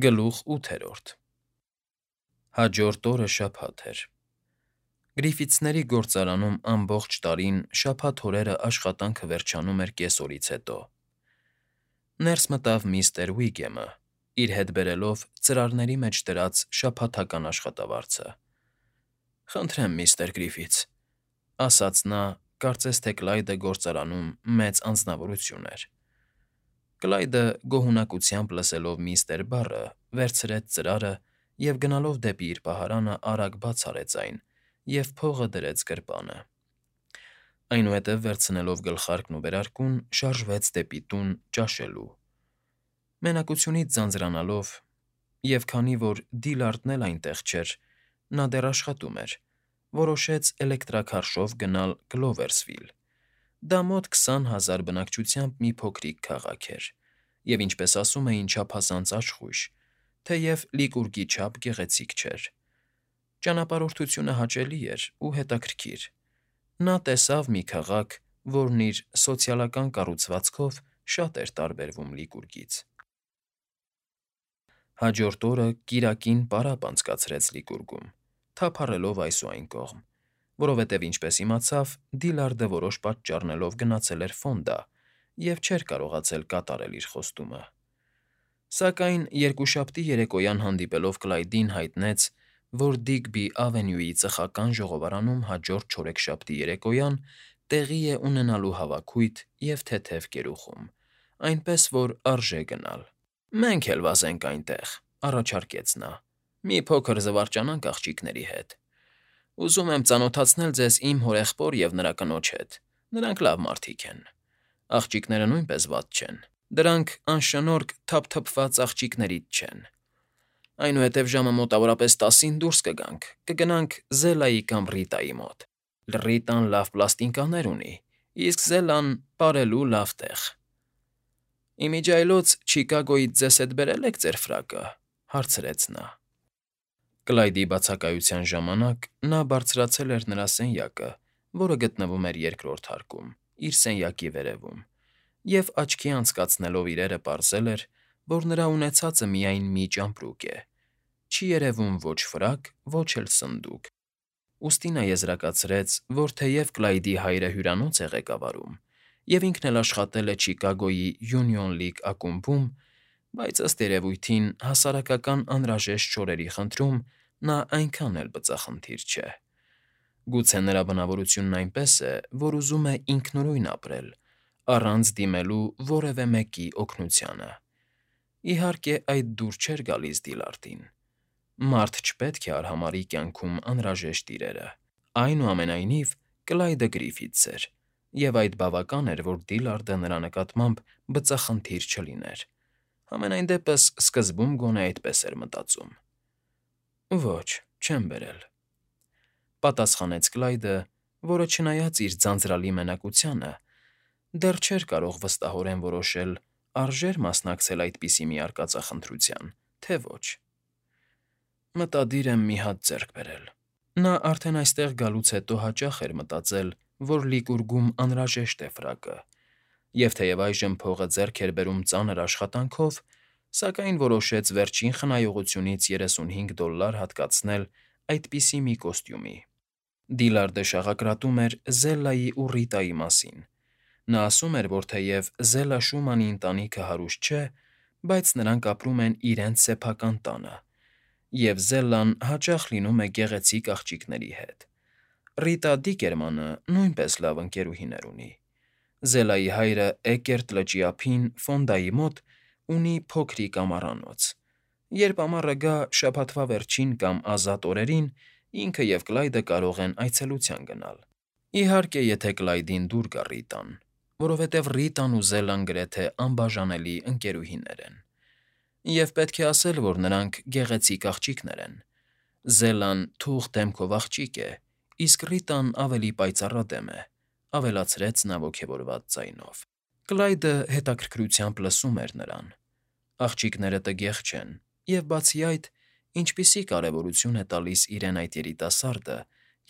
Գլուխ 8-րդ Հաջորդ օրը շաբաթ էր։ Գրիֆիթսների գործարանում ամբողջ տարին շաբաթ օրերը աշխատանքը վերջանում էր կեսօրից հետո։ Ներս մտավ միստր Ուիգեմը, իր հետ բերելով ծրարների մեջ դրած շաբաթական աշխատավարձը։ «Խնդրեմ, միստր Գրիֆիթս», ասաց նա, կարծես թե Կլայդը գործարանում մեծ անձնավորություն էր։ Կլայդը գոհունակությամբ լսելով միստր բառը, վերցրեց ծրարը և գնալով դեպի իր պահարանը արագ բաց արեց այն և փողը դրեց գրպանը։ Այնուհետև վերցնելով գլխարկն ու վերարկուն, շարժվեց դեպի տուն ճաշելու։ Մենակությունից ձանձրանալով, և քանի որ Դիլարդն էլ այնտեղ չէր, նա դեռ աշխատում էր, որոշեց էլեկտրաքարշով գնալ Գլովերսվիլ։ Դա մոտ 20,000 բնակչությամբ մի փոքրիկ քաղաք էր, և, ինչպես ասում էին, չափազանց աշխույժ, թեև Լիկուրգի չափ գեղեցիկ չէր։ Ճանապարհորդությունը հաճելի էր ու հետաքրքիր։ Նա տեսավ մի քաղաք, որն իր սոցիալական կառուցվածքով շատ էր տարբերվում Լիկուրգից։ Հաջորդ օրը կիրակին պարապ անցկացրեց Լիկուրգում, թափառելով այս ու այն կողմ, որովհետև, ինչպես իմացավ, Դիլարդը որոշ պատճառներով գնացել էր Ֆոնդա և չէր կարողացել կատարել իր խոստումը։ Սակայն երկուշաբթի երեկոյան հանդիպելով Կլայդին հայտնեց, որ Դիգբի Ավենյուի ծխական ժողովարանում հաջորդ չորեքշաբթի երեկոյան տեղի է ունենալու հավաքույթ և թեթև կերուխում, այնպես որ արժե գնալ։ «Մենք էլ վազենք այնտեղ», ֊ առաջարկեց նա, «մի փոքր զվարճանանք աղջիկների հետ։ Ուզում եմ ծանոթացնել ձեզ իմ հորեղբոր և նրա կնոջ հետ, նրանք լավ մարդիկ են։ Աղջիկները նույնպես վատ չեն, դրանք անշնորհք թափթփված աղջիկներից չեն։ Այնուհետև ժամը մոտավորապես 10-ին դուրս կգանք, կգնանք Զելայի կամ Ռիտայի մոտ։ Ռիտան լավ պլաստինկաներ ունի, իսկ Զելան պարելու լավ տեղ։ Իմիջիայլոց Չիկագոյից ձեզ հետ բերել եք ձեր ֆրակը», ֊ հարցրեց նա։ Կլայդի բացակայության ժամանակ նա բարձրացել էր նրա սենյակը, որը գտնվում էր երկրորդ հարկում, իր սենյակի վերևում, և աչքի անցկացնելով իրերը պարզել էր, որ նրա ունեցածը միայն մի ճամպրուկ է, չի երևում ոչ ֆրակ, ոչ էլ սնդուկ։ Ուստի նա եզրակացրեց, որ թեև Կլայդի հայրը հյուրանոց է ղեկավարում, և ինքն էլ աշխատել է Չիկագոյի Union League ակումբում, բայց, ըստ երևույթին, հասարակական անհրաժեշտ շորերի խնդրում նա այնքան էլ բծախնդիր չէ։ Գուցե նրա բնավորությունն այնպես է, որ ուզում է ինքնուրույն ապրել, առանց դիմելու որևէ մեկի օգնությանը։ Իհարկե, այդ դուր չէր գալիս Դիլարդին։ Մարդ չպետք է արհամարհի կյանքում անհրաժեշտ իրերը։ Այնուամենայնիվ, Կլայդը Գրիֆիթս էր, և այդ բավական էր, որ Դիլարդը նրա նկատմամբ բծախնդիր չլիներ։ Համենայն դեպս, սկզբում գոնե այդպես էր մտածում։ «Ոչ, չեմ բերել», ֊ պատասխանեց Կլայդը, որը, չնայած իր ձանձրալի մենակությանը, դեռ չէր կարող վստահորեն որոշել՝ արժե՞ր մասնակցել այդպիսի մի արկածախնդրության, թե ոչ։ «Մտադիր եմ մի հատ ձեռք բերել»։ Նա արդեն այստեղ գալուց հետո հաճախ էր մտածել, որ Լիկուրգում անհրաժեշտ է ֆրակը, և թեև այժմ փողը ձեռք էր բերում ծանր աշխատանքով, սակայն որոշեց վերջին խնայողությունից $35 հատկացնել այդպիսի մի կոստյումի։ Դիլարդը շաղակրատում էր Զելայի ու Ռիտայի մասին։ Նա ասում էր, որ թեև Զելա Շումանի ընտանիքը հարուստ չէ, բայց նրանք ապրում են իրենց սեփական տանը, և Զելլան հաճախ լինում է գեղեցիկ աղջիկների հետ։ Ռիտա Դիկերմանը նույնպես լավ ընկերուհիներ ունի։ Զելայի հայրը Էկերտ լճի ափին, Ֆոնդայի մոտ, ունի փոքրիկ ամառանոց։ Երբ ամառը գա, շաբաթվա վերջին կամ ազատ օրերին ինքը և Կլայդը կարող են այցելության գնալ։ Իհարկե, եթե Կլայդին դուր գա Ռիտան, որովհետև Ռիտան ու Զելլան գրեթե անբաժանելի ընկերուհիներ են։ Եվ պետք է ասել, որ նրանք գեղեցիկ աղջիկներ են։ Զելլան թուղթ դեմքով աղջիկ է, իսկ Ռիտան ավելի պայծառադեմ է, ֊ ավելացրեց նա ոգևորված ձայնով։ Կլայդը հետաքրքրությամբ լսում էր նրան։ Աղջիկները տգեղ չեն, և, բացի այդ, ինչպիսի կարևորություն է տալիս իրեն այդ երիտասարդը,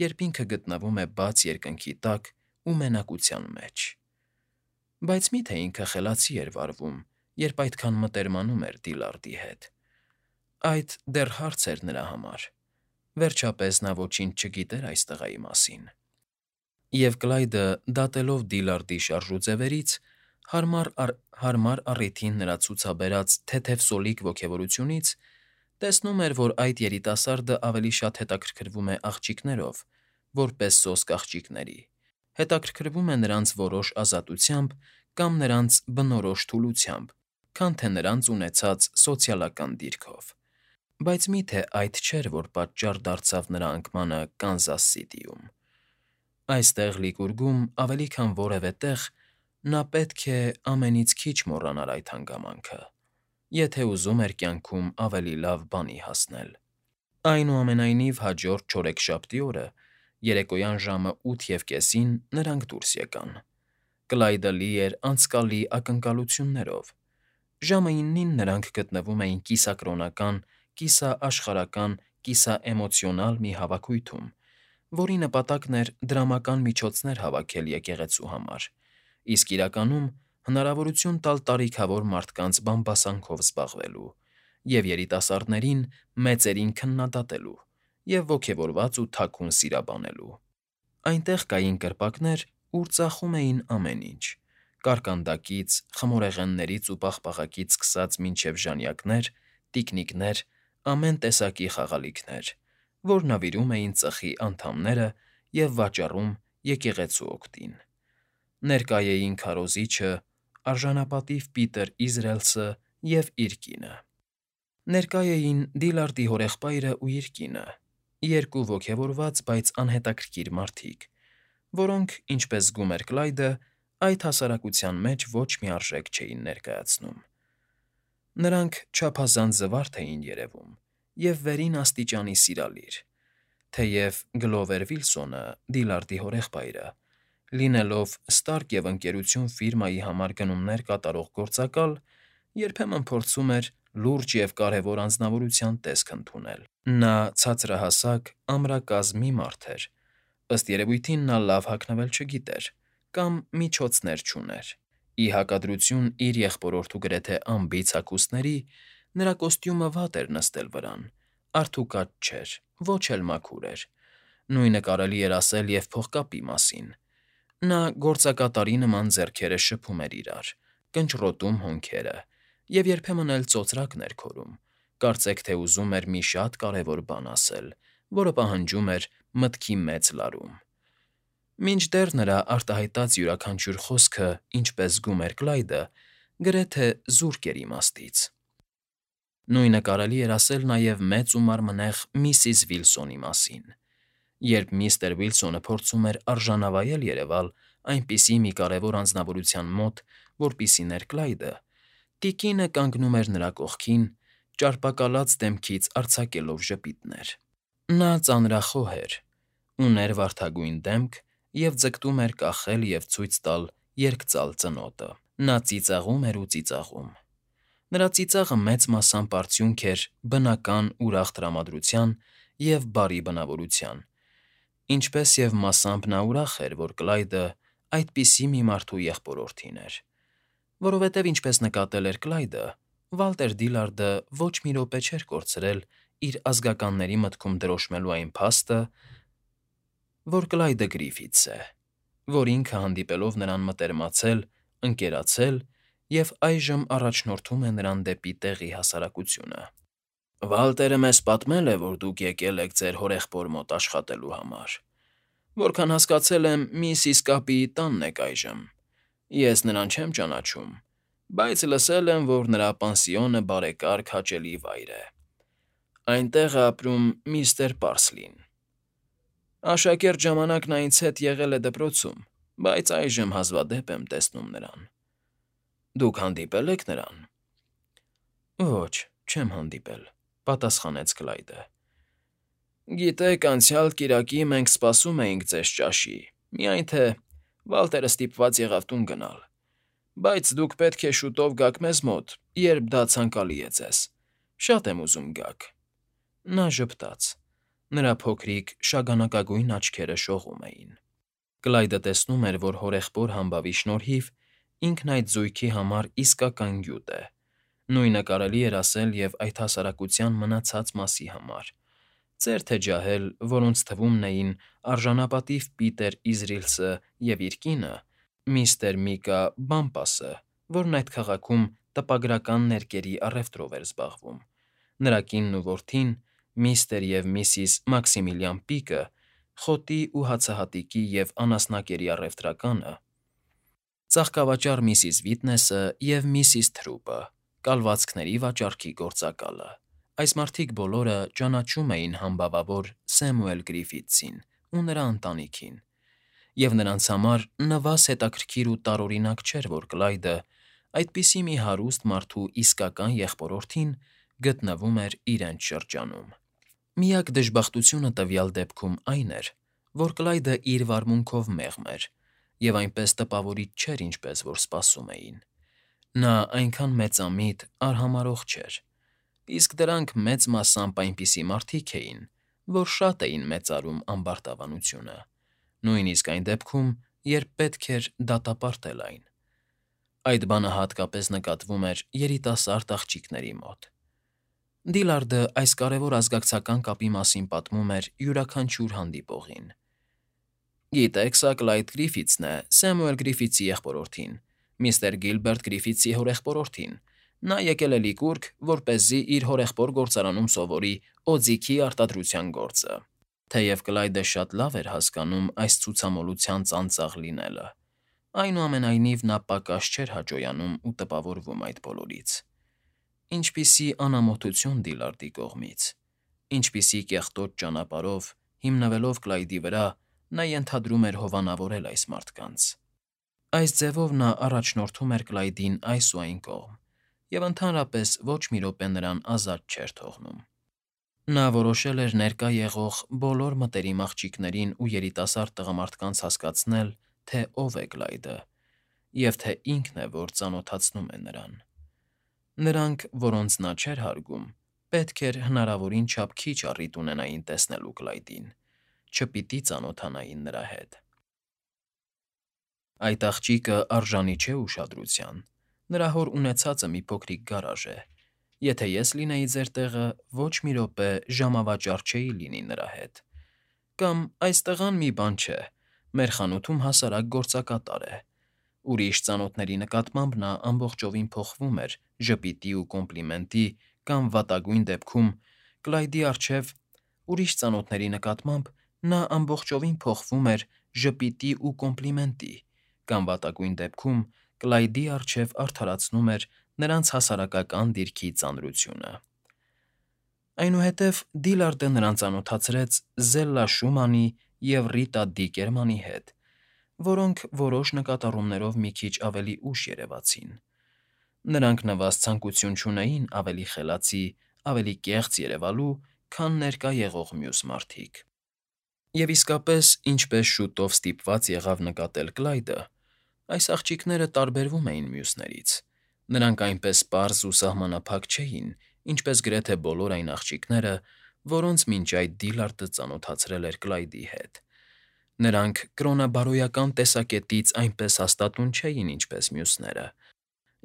երբ ինքը գտնվում է բաց երկնքի տակ ու մենակության մեջ։ Բայց մի՞թե ինքը խելացի էր վարվում, երբ այդքան մտերմանում էր Դիլարդի հետ։ այդ դեռ հարց էր նրա համար։ Վերջապես նա ոչինչ չգիտեր այս տղայի մասին։ Եվ Կլայդը, դատելով Դիլարդի շարժուձևերից, հարմար առիթին նրա ցուցաբերած թեթև ոգևորությունից, տեսնում էր, որ այդ երիտասարդը ավելի շատ հետաքրքրվում է աղջիկներով, որպես սոսկ աղջիկների, հետաքրքրվում է նրանց որոշ ազատությամբ կամ նրանց բնորոշ թուլությամբ, քան թե նրանց ունեցած սոցիալական դիրքով։ Բայց մի՞թե այդ չէր, որ պատճառ դարձավ նրա անկմանը Կանզաս Սիթիում։ Այստեղ Լիկուրգում ավելի քան որևէ տեղ նա պետք է ամենից քիչ մոռանար այդ հանգամանքը, եթե ուզում էր կյանքում ավելի լավ բանի հասնել։ Այնուամենայնիվ հաջորդ չորեքշաբթի օրը, երեկոյան ժամը 8:30-ին նրանք դուրս եկան։ Կլայդը լի էր անցկալի ակնկալություններով։ Ժամը 9-ին նրանք գտնվում էին կիսակրոնական, կիսաաշխարհական, կիսաէմոցիոնալ մի հավաքույթում, որի նպատակն էր դրամական միջոցներ հավաքել եկեղեցու համար, իսկ իրականում հնարավորություն տալ տարիքավոր մարդկանց բամբասանքով զբաղվելու և երիտասարդներին մեծերին քննադատելու և ոգևորված ու թաքուն սիրաբանելու։ Այնտեղ կային կրպակներ, ուր ծախում էին ամեն ինչ. կարկանդակից, խմորեղեններից ու պաղպաղակից սկսած մինչև ժանյակներ, տիկնիկներ, ամեն տեսակի խաղալիքներ, որ նվիրում էին ծխի անդամները և վաճառում եկեղեցու օգտին։ Ներկա էին քարոզիչը, արժանապատիվ Պիտեր Իզրայելսը և իր կինը։ Ներկա էին Դիլարդի հորեղբայրը ու իր կինը, երկու ոգևորված, բայց անհետաքրքիր մարդիկ, որոնք, ինչպես զգում էր Կլայդը, այդ հասարակության մեջ ոչ մի արժեք չէին ներկայացնում։ Նրանք չափազանց զվարթ էին երևում և վերին աստիճանի սիրալիր, թեև Գլովեր Վիլսոնը, Դիլարդի հորեղբայրը, լինելով Ստարկ և Ընկերություն ֆիրմայի համար գնումներ կատարող գործակալ, երբեմն փորձում էր լուրջ և կարևոր անձնավորության տեսք ընդունել։ Նա ցածրահասակ, ամրակազմի մարդ էր, ըստ երևույթին նա լավ հագնվել չգիտեր կամ միջոցներ չուներ։ Ի հակադրություն իր եղբորորդու գրեթե անբիծ հագուստների, նրա կոստյումը վատ էր նստել վրան, արդուկատ չէր, ոչ էլ մաքուր էր։ Նույնը կարելի էր ասել և փողկապի մասին։ Նա գործակատարի նման ձեռքերը շփում էր իրար, կնճռոտում հոնքերը և երբեմն էլ ծոծրակներ քորում, կարծեք թե ուզում էր մի շատ կարևոր բան ասել, որը պահանջում էր մտքի մեծ լարում։ Մինչդեռ նրա արտահայտած յուրաքանչյուր խոսքը, ինչպես զգում էր Կլայդը, գրեթե զուրկ էր իմաստից։ Նույնը կարելի էր ասել նաև մեծ ու մարմնեղ միսիս Վիլսոնի մասին։ Երբ միստր Վիլսոնը փորձում էր արժանավայել երևալ այնպիսի մի կարևոր անձնավորության մոտ, որպիսին էր Կլայդը, տիկինը կանգնում էր նրա կողքին, ճարպակալած դեմքից արձակելով ժպիտներ։ Նա ծանրախոհ էր, ուներ վարդագույն դեմք և ձգտում էր կախել և ցույց տալ երկծալ ծնոտը։ Նա ծիծաղում էր ու ծիծաղում։ Նրա ծիծաղը մեծ մասամբ արդյունք էր բնական ուրախ տրամադրության և բարի բնավորության, ինչպես և մասամբ նա ուրախ էր, որ Կլայդը այդպիսի մի մարդու եղբորորդին էր, որովհետև, ինչպես նկատել էր Կլայդը, Վալտեր Դիլարդը ոչ մի րոպե չէր կորցրել իր ազգականների մտքում դրոշմելու այն փաստը, որ Կլայդը Գրիֆիթս է, որ ինքը հանդիպելով նրան մտերմացել, ընկերացել և այժմ առաջնորդում է նրան դեպի տեղի հասարակությունը։ «Վալտերը մեզ պատմել է, որ դուք եկել եք ձեր հորեղբոր մոտ աշխատելու համար։ Որքան հասկացել եմ, միսիս Կապիի տանն եք այժմ։ Ես նրան չեմ ճանաչում, բայց լսել եմ, որ նրա պանսիոնը բարեկարգ հաճելի վայր է։ Այնտեղ է ապրում միստր Պարսլին։ Աշակերտ ժամանակ նա ինձ հետ եղել է դպրոցում, բայց այժմ հազվադեպ եմ տեսնում նրան։ Դուք հանդիպե՞լ եք նրան»։ Ոչ, չեմ հանդիպել, պատասխանեց Կլայդը։ Գիտեք, անցյալ կիրակի մենք սպասում էինք ձեզ ճաշի, միայն թե Վալտերը ստիպված եղավ տուն գնալ, բայց դուք պետք է շուտով գաք մեզ մոտ, երբ դա ցանկալի է ձեզ։ Շատ եմ ուզում գաք։ Նա ժպտաց։ Նրա փոքրիկ, շագանակագույն աչքերը շողում էին։ Կլայդը տեսնում էր, որ հորեղբոր համբավի շնորհիվ ինքն այդ զույգի համար իսկական գյուտ է, Նույնը կարելի էր ասել և այդ հասարակության մնացած մասի համար. ծեր թե ջահել, որոնց թվում էին արժանապատիվ Պիտեր Իզրիլսը և իր կինը, միստր Միկա Բամպասը, որն այդ քաղաքում տպագրական ներկերի առևտրով էր զբաղվում, նրա կինն ու որդին, միստր և միսիս Մաքսիմիլիան Պիկը, խոտի ու հացահատիկի և անասնակերի առևտրականը, ծաղկավաճառ միսիս Վիտնեսը և միսիս Թրուպը, կալվածքների վաճառքի գործակալը։ Այս մարդիկ բոլորը ճանաչում էին համբավավոր Սեմուել Գրիֆիթսին ու նրա ընտանիքին, և նրանց համար նվազ հետաքրքիր ու տարօրինակ չէր, որ Կլայդը, այդպիսի մի հարուստ մարդու իսկական եղբորորդին, գտնվում էր իրենց շրջանում։ Միակ դժբախտությունը տվյալ դեպքում այն էր, որ Կլայդը իր վարմունքով մեղմ էր և այնպես տպավորիչ չէր, ինչպես որ սպասում էին։ Նա այնքան մեծամիտ, արհամարհող չէր, իսկ դրանք մեծ մասամբ այնպիսի մարդիկ էին, որ շատ էին մեծարում ամբարտավանությունը, նույնիսկ այն դեպքում, երբ պետք էր դատապարտել այն։ Այդ բանը հատկապես նկատվում էր երիտասարդ աղջիկների մոտ։ Դիլարդը այս կարևոր ազգակցական կապի մասին պատմում էր յուրաքանչյուր հանդիպողին։ «Գիտեք, սա Կլայդ Գրիֆիթսն է, Սեմուել Գրիֆիթսի եղբորորդին, միստր Գիլբերտ Գրիֆիթսի հորեղբորորդին։ Նա եկել է Լիկուրգ, որպեսզի իր հորեղբոր գործարանում սովորի օձիքի արտադրության գործը»։ Թեև Կլայդը շատ լավ էր հասկանում այս ցուցամոլության ծանծաղ լինելը, այնուամենայնիվ նա պակաս չէր հաճոյանում ու տպավորվում այդ բոլորից։ Ինչպիսի անամոթություն Դիլարդի կողմից, ինչպիսի կեղտոտ ճանապարհով, հիմնվելով Կլայդի վրա, նա ենթադրում էր հովանավորել այս մարդկանց։ Այս ձևով նա առաջնորդում էր Կլայդին այս ու այն կողմ և ընդհանրապես ոչ մի րոպե նրան ազատ չէր թողնում։ Նա որոշել էր ներկա եղող բոլոր մտերիմ աղջիկներին ու երիտասարդ տղամարդկանց հասկացնել, թե ով է Կլայդը և թե ինքն է, որ ծանոթացնում է նրան։ Նրանք, որոնց նա չէր հարգում, պետք էր հնարավորին չափ քիչ առիթ ունենային տեսնելու Կլայդին, չպիտի ծանոթանային նրա հետ։ Այդ աղջիկը արժանի չէ ուշադրության, նրա հոր ունեցածը մի փոքրիկ գարաժ է։ Եթե ես լինեի ձեր տեղը, ոչ մի րոպե ժամավաճառ չէի լինի նրա հետ։ Կամ այս տղան մի բան չէ, մեր խանութում հասարակ գործակատար է։ Ուրիշ ծանոթների նկատմամբ նա ամբողջովին փոխվում էր ժպիտի ու կոմպլիմենտի կամ վատագույն դեպքում Կլայդի առջև ուրիշ ծանոթների նկատմամբ նա ամբողջովին փոխվում էր ժպիտի ու կոմպլիմենտի կամ վատագույն դեպքում Կլայդի առջև արդարացնում էր նրանց հասարակական դիրքի ծանրությունը։ Այնուհետև Դիլարդը նրան ծանոթացրեց Զելլա Շումանի և Ռիտա Դիկերմանի հետ, որոնք որոշ նկատառումներով մի քիչ ավելի ուշ երևացին։ Նրանք նվազ ցանկություն չունեին ավելի խելացի, ավելի կեղծ երևալու, քան ներկա եղող մյուս մարդիկ։ Եվ իսկապես, ինչպես շուտով ստիպված եղավ նկատել Կլայդը, այս աղջիկները տարբերվում էին մյուսներից։ Նրանք այնպես պարզ ու սահմանափակ չէին, ինչպես գրեթե բոլոր այն աղջիկները, որոնց մինչ այդ Դիլարդը ծանոթացրել էր Կլայդի հետ։ Նրանք կրոնաբարոյական տեսակետից այնպես հաստատուն չէին, ինչպես մյուսները,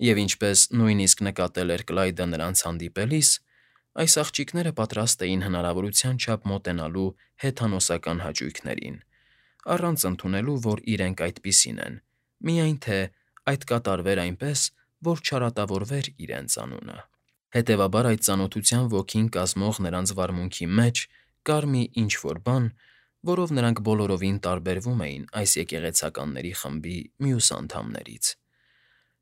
և ինչպես նույնիսկ նկատել էր Կլայդը նրանց հանդիպելիս, այս աղջիկները պատրաստ էին հնարավորության չափ մոտենալու հեթանոսական հաճույքներին, առանց ընդունելու, որ իրենք այդպիսին են, միայն թե այդ կատարվեր այնպես, որ չարատավորվեր իրենց անունը։ Հետևաբար այդ ծանոթության ոգին կազմող նրանց վարմունքի մեջ կար մի ինչ֊որ բան, որով նրանք բոլորովին տարբերվում էին այս եկեղեցականների խմբի մյուս անդամներից։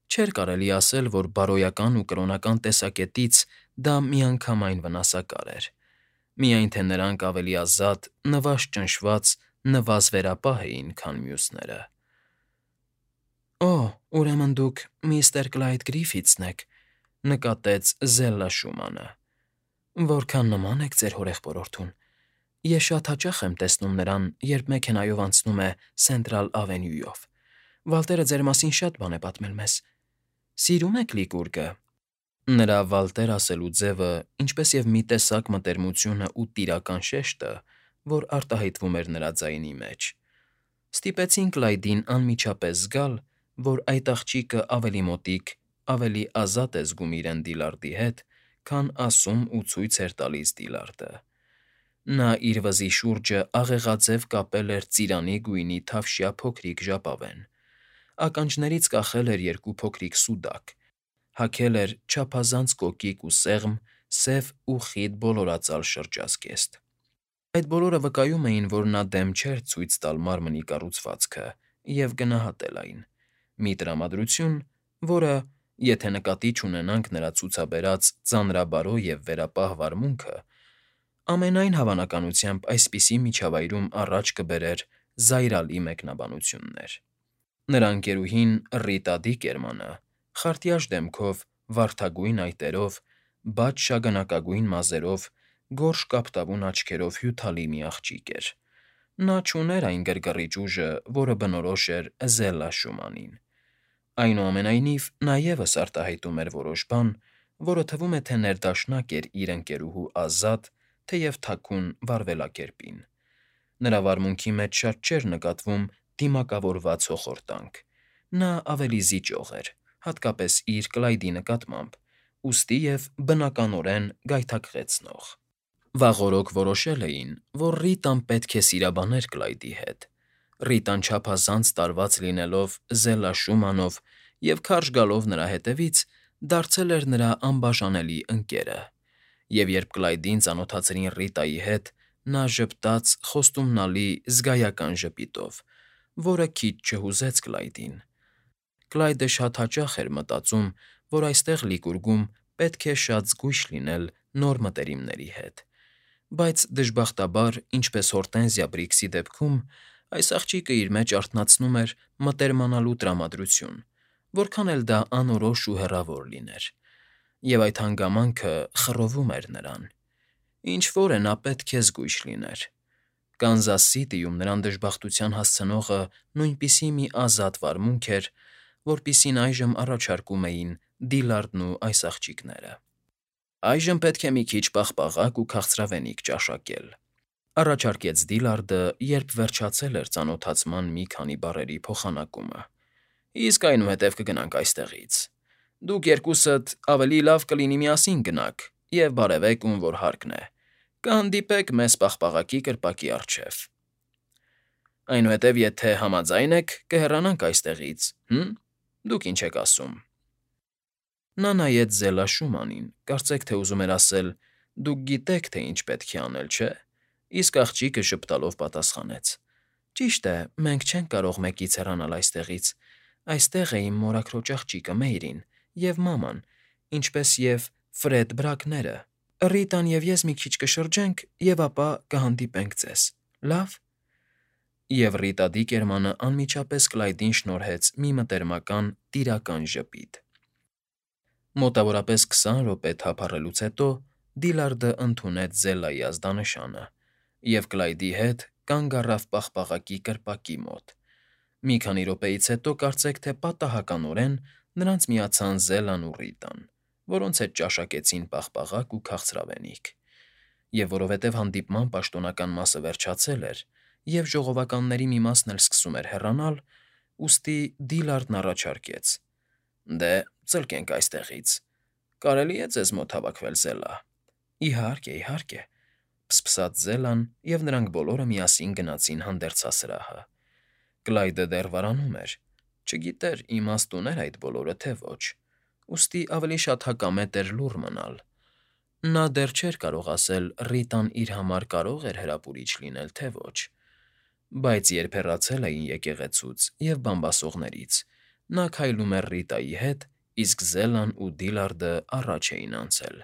Չէր կարելի ասել, որ բարոյական ու կրոնական տեսակետից դա միանգամայն վնասակար էր, միայն թե նրանք ավելի ազատ, նվազ֊ճնշված, նվազ֊վերապահ էին, քան մյուսները։ «Օ, ուրեմն դուք միստր Կլայդ Գրիֆիթսն եք», ֊ նկատեց Զելլա Շումանը։ «Որքան նման եք ձեր հորեղբորորդուն։ Ես շատ հաճախ եմ տեսնում նրան, երբ մեքենայով անցնում է Սենտրալ Ավենյուով։ Վալտերը ձեր մասին շատ բան է պատմել մեզ։ Սիրո՞ւմ եք Լիկուրգը»։ Նրա Վալտեր ասելու ձևը, ինչպես և մի տեսակ մտերմությունը ու տիրական շեշտը, որ արտահայտվում էր նրա ձայնի մեջ, ստիպեցին Կլայդին անմիջապես զգալ, որ այդ աղջիկը ավելի մոտիկ ավելի ազատ է զգում իրեն Դիլարդի հետ, քան ասում ու ցույց էր տալիս Դիլարդը։ Նա իր վզի շուրջը աղեղաձև կապել էր ծիրանի գույնի թավշյա փոքրիկ ժապավեն, ականջներից կախել էր երկու փոքրիկ սուդակ, հագել էր չափազանց կոկիկ ու սեղմ, սև ու խիտ բոլորածալ շրջազգեստ։ Այդ բոլորը վկայում էին, որ նա դեմ չէր ցույց տալ մարմնի կառուցվածքը և գնահատել այն, մի տրամադրություն, որը, եթե նկատի չունենանք նրա ցուցաբերած ծանրաբարո և վերապահ վարմունքը, ամենայն հավանականությամբ այսպիսի միջավայրում առաջ կբերեր զայրալի մեկնաբանություններ։ Նրա ընկերուհին Ռիտա Դիկերմանը խարտյաշ դեմքով, վարդագույն այտերով, բաց շագանակագույն մազերով, գորշ կապտավուն աչքերով հյութալի մի աղջիկ էր։ Նա չուներ այն գրգռիչ ուժը, որը բնորոշ էր Զելլա Շումանին։ Այնուամենայնիվ, նա ևս արտահայտում էր որոշ բան, որը թվում է, թե ներդաշնակ էր իր ընկերուհու ազատ, թեև թաքուն վարվելակերպին։ Նրա վարմունքի մեջ շատ չէր նկատվում դիմակավորված հոխորտանք։ Նա ավելի զիջող էր, հատկապես իր Կլայդի նկատմամբ, ուստի և բնականորեն գայթակղեցնող։ Վաղօրոք որոշել էին, որ Ռիտան պետք է սիրաբաներ Կլայդի հետ։ Ռիտան չափազանց տարված լինելով Զելլա Շումանով և քարշ գալով նրա հետևից, դարձել էր նրա անբաժանելի ընկերը, և երբ Կլայդին ծանոթացրին Ռիտայի հետ, նա ժպտաց խոստումնալի զգայական ժպիտով, որը քիչ չհուզեց Կլայդին։ Կլայդը շատ հաճախ էր մտածում, որ այստեղ Լիկուրգում պետք է շատ զգույշ լինել նոր մտերիմների հետ, բայց դժբախտաբար, ինչպես Հորտենզիա Բրիքսի դեպքում, այս աղջիկը իր մեջ արթնացնում էր մտերմանալու տրամադրություն, որքան էլ դա անորոշ ու հեռավոր լիներ, և այդ հանգամանքը խռովում էր նրան։ Ինչ֊որ է նա պետք է զգույշ լիներ։ Կանզաս Սիթիում նրան դժբախտության հասցնողը նույնպիսի մի ազատ վարմունք էր, որպիսին այժմ առաջարկում էին Դիլարդն ու այս աղջիկները։ «Այժմ պետք է մի քիչ պաղպաղակ ու քաղցրավենիք ճաշակել», առաջարկեց Դիլարդը, երբ վերջացել էր ծանոթացման մի քանի բառերի փոխանակումը։ «Իսկ այնուհետև կգնանք այստեղից։ Դուք երկուսդ ավելի լավ կլինի միասին գնաք և բարևեք, ում որ հարկն է։ Կհանդիպեք մեզ պաղպաղակի կրպակի առջև։ Այնուհետև, եթե համաձայն եք, կհեռանանք այստեղից, Դուք ինչ եք ասում»։ Նա նայեց Զելլա Շումանին, կարծեք թե ուզում էր ասել. «Դուք գիտեք, թե ինչ պետք է անել, չէ՞», իսկ աղջիկը ժպտալով պատասխանեց. «Ճիշտ է, մենք չենք կարող մեկից հեռանալ այստեղից։ Այստեղ է իմ մորաքրոջ աղջիկը Մեյրին և մաման, ինչպես և Ֆրեդ Բրակները։ Ռիտան և ես մի քիչ կշրջենք, և ապա կհանդիպենք ձեզ, լա՞վ»։ Եվ Ռիտա Դիկերմանը անմիջապես Կլայդին շնորհեց մի մտերմական, տիրական ժպիտ։ Մոտավորապես 20 րոպե թափառելուց հետո Դիլարդը ընդունեց Զելլայի ազդանշանը և Կլայդի հետ կանգ առավ պաղպաղակի կրպակի մոտ։ Մի քանի րոպեից հետո կարծեք թե պատահականորեն նրանց միացան Զելլան ու Ռիտան, որոնց հետ ճաշակեցին պաղպաղակ ու քաղցրավենիք։ Եվ որովհետև հանդիպման պաշտոնական մասը վերջացել էր, և ժողովականների մի մասն էլ սկսում էր հեռանալ, ուստի Դիլարդն առաջարկեց. «Դե, ծլկենք այստեղից։ Կարելի՞ է ձեզ մոտ հավաքվել, Զելլա»։ «Իհարկե, իհարկե», փսփսաց Զելլան, և նրանք բոլորը միասին գնացին հանդերձասրահը։ Կլայդը դեռ վարանում էր, չգիտեր իմաստ ուներ այդ բոլորը, թե ոչ, ուստի ավելի շատ հակամետ էր լուռ մնալ։ Նա դեռ չէր կարող ասել Ռիտան իր համար կարո՞ղ էր հրապուրիչ լինել, թե ոչ։ Բայց երբ հեռացել էին եկեղեցուց և բամբասողներից, նա քայլում էր Ռիտայի հետ, իսկ Զելլան ու Դիլարդը առաջ էին անցել։